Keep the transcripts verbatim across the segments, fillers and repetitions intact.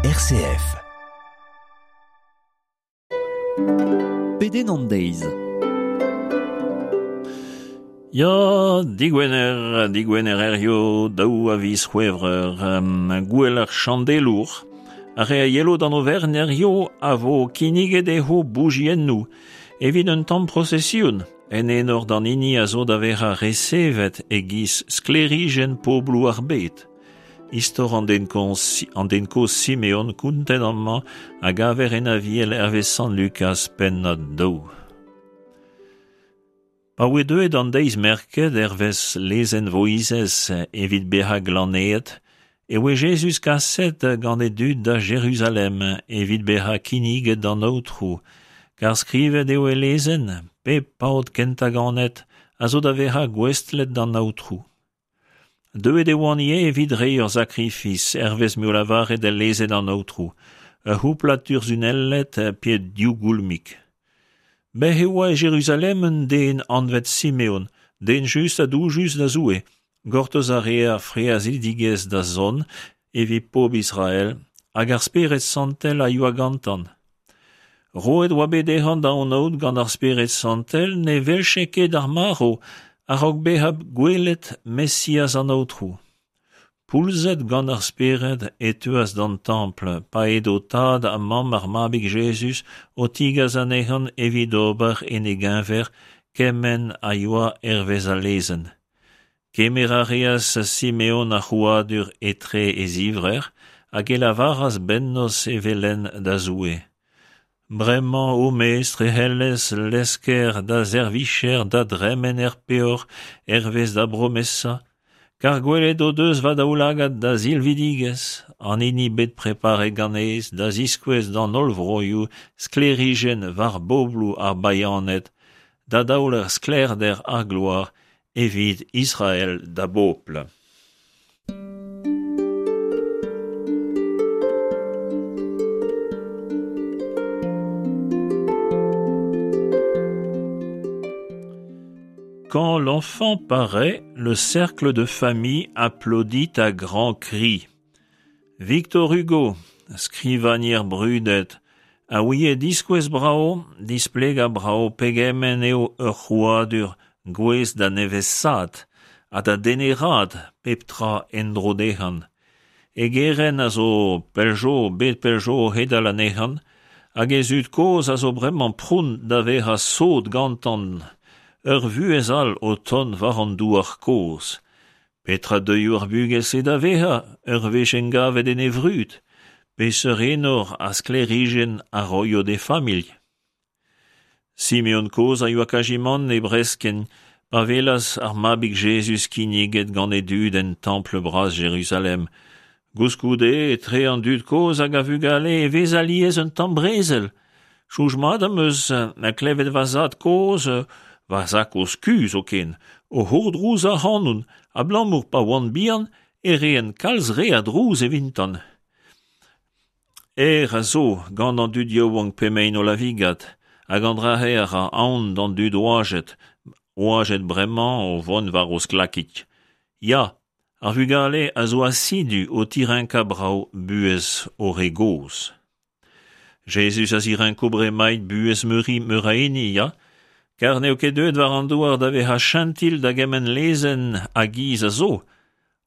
R C F. Pedenn an deiz. Ya, digwener, digwener hirio, daou a viz C'hwevrer, um, gouel ar Chandelour. Ar re a yelo d'an overenn hirio a vo kinniget dezho boujiennoù evit un tamm prosesion, en enor d'an hini a zo da vezañ resevet e-giz sklêrijenn pobloù ar bed. Istor an den kozh, an den kozh Simeon kontet amañ a gaver en Aviel hervez Sant Lukaz pennad daou. Pa oe deuet an deiz merket hervez lezenn Voizez evit bezañ glanaet, e oe Jezuz kaset gant e dud da Jeruzalem evit bezañ kinniget d'an Aotrou, kar skrivet eo el lezenn, pep paotr kentañ ganet a zo da vezañ gouestlet d'an Aotrou. Deuet e oant ivez evit reiñ ur sakrifis hervez m'eo lavaret el lezenn an Aotrou, ur c'houplad turzhunelled pe div goulmig. Bez e oa e Jeruzalem un den anvet Simeon, den just ha doujus da Zoue, gortoz a rea frealzidigezh da zont evit pobl Israel, hag ar Spered Santel a yoa gantan. Roet oa bet dezhañ da anaout gant ar Spered Santel ne welche ket ar marv a-raok bezañ gwelet Mesiaz an Aotrou. Poulzet gant ar Spered e teuas d'an templ, pa edo tad ha mamm ar mabig Jezuz o tigas anezhañ evit ober en e geñver kement a yoa hervez al lezenn. Kemer a reas Simeon ar c'hrouadur etre e zivrec'h hag e lavaras bennozh evel-henn da Zoue. Bremañ, o mestr, e c'hellez lesker da servijer da dremen er peoc'h hervez da bromesa, kar gwelet o deus va daoulagad da silvidigezh, an hini bet preparet ganez da ziskouez d'an holl vroioù sklêrijenn war bobloù ar bayaned, da daoler sklaerder ar gloar evit Israel da bobl. Quand l'enfant paraît, le cercle de famille applaudit à grands cris. Victor Hugo, skrivagner brudet, a ouie diskouez brao, displegañ brao pegement eo ur c'hrouadur gouest da nevesaat ha da deneraat pep tra en-dro dezhañ. E gerent a zo pell zo, bet pell zo o c'hedal anezhañ, hag e zud kozh a zo bremañ pront da vezañ sot gantañ. Ur vuhez all o tont war an douar kozh. Petra deuio ar bugel-se da vezañ ur wech engavet en e vrud? Peseurt enor ha sklêrijenn a roio d'e familh? Simeon kozh a yoa kazimant e breskenn pa welas ar mabig Jezuz kinniget gant e dud en templ bras Jeruzalem. Koulskoude, etre an dud kozh hag a vugale e vez alies un tamm brezel. Soñj mat am eus na klevet va zad kozh, va zad-kozh kuzh zoken, o c'hourdrouz ac'hanon, abalamour pa oan bihan e reen kalz re a drouz evitan. Aer a zo gant an dud yaouank p'emaint o lavigat, hag an dra-se a ra aon d'an dud oajet, oajet bremañ o vont war o sklakig. Ya, ar vugale a zo asidu o tirenkañ brav buhez o re gozh. Jezuz a zirenko bremaik buhez meuri meur a hini, ya, kar n'eo ket deuet war an douar da vezañ chentil da gement lezenn ha giz a zo,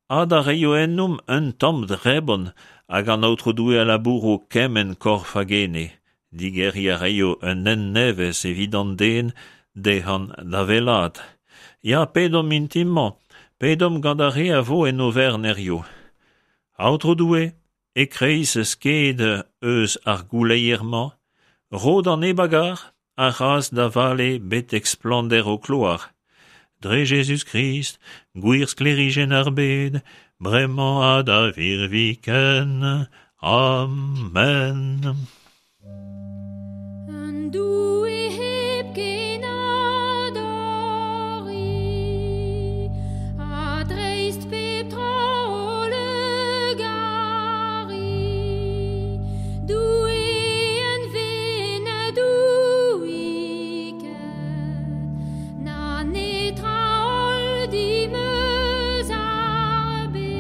ha da reio ennomp un tamm drebon hag an Aotrou Doue a labouro kement korf hag ene. Digeriñ a reio un hent nevez evit an den dezhañ da wellaat. Ya, pedomp mintin-mañ, pedomp gant ar re a vo en overenn hirio. Aotrou Doue, e-kreiz sked eus ar gouleier-mañ, ro d'an neb a gar, ar c'hras da vale betek splannder ho kloar. Dre Jezuz-Krist, gwir sklêrijenn ar bed, bremañ ha da virviken. Amen. Un Doue hepken adori, ha dreist pep tra holl gari. Doue en ve na doui ket, na netra holl dimeus ar bed.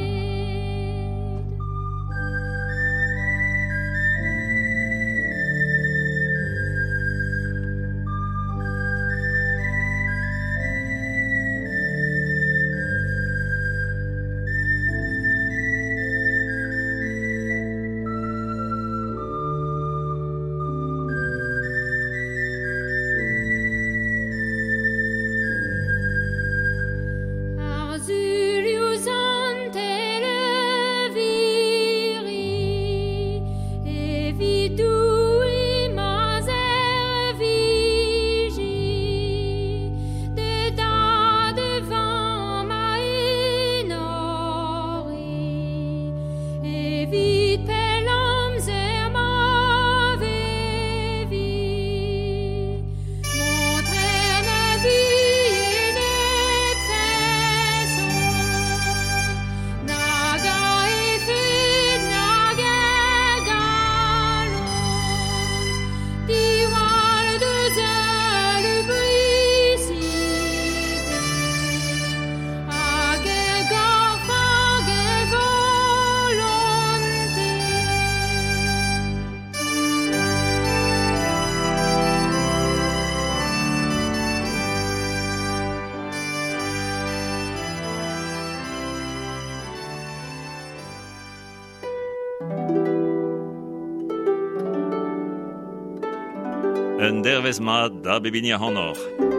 Un dervezh mat da bep hini ac'hanoc'h.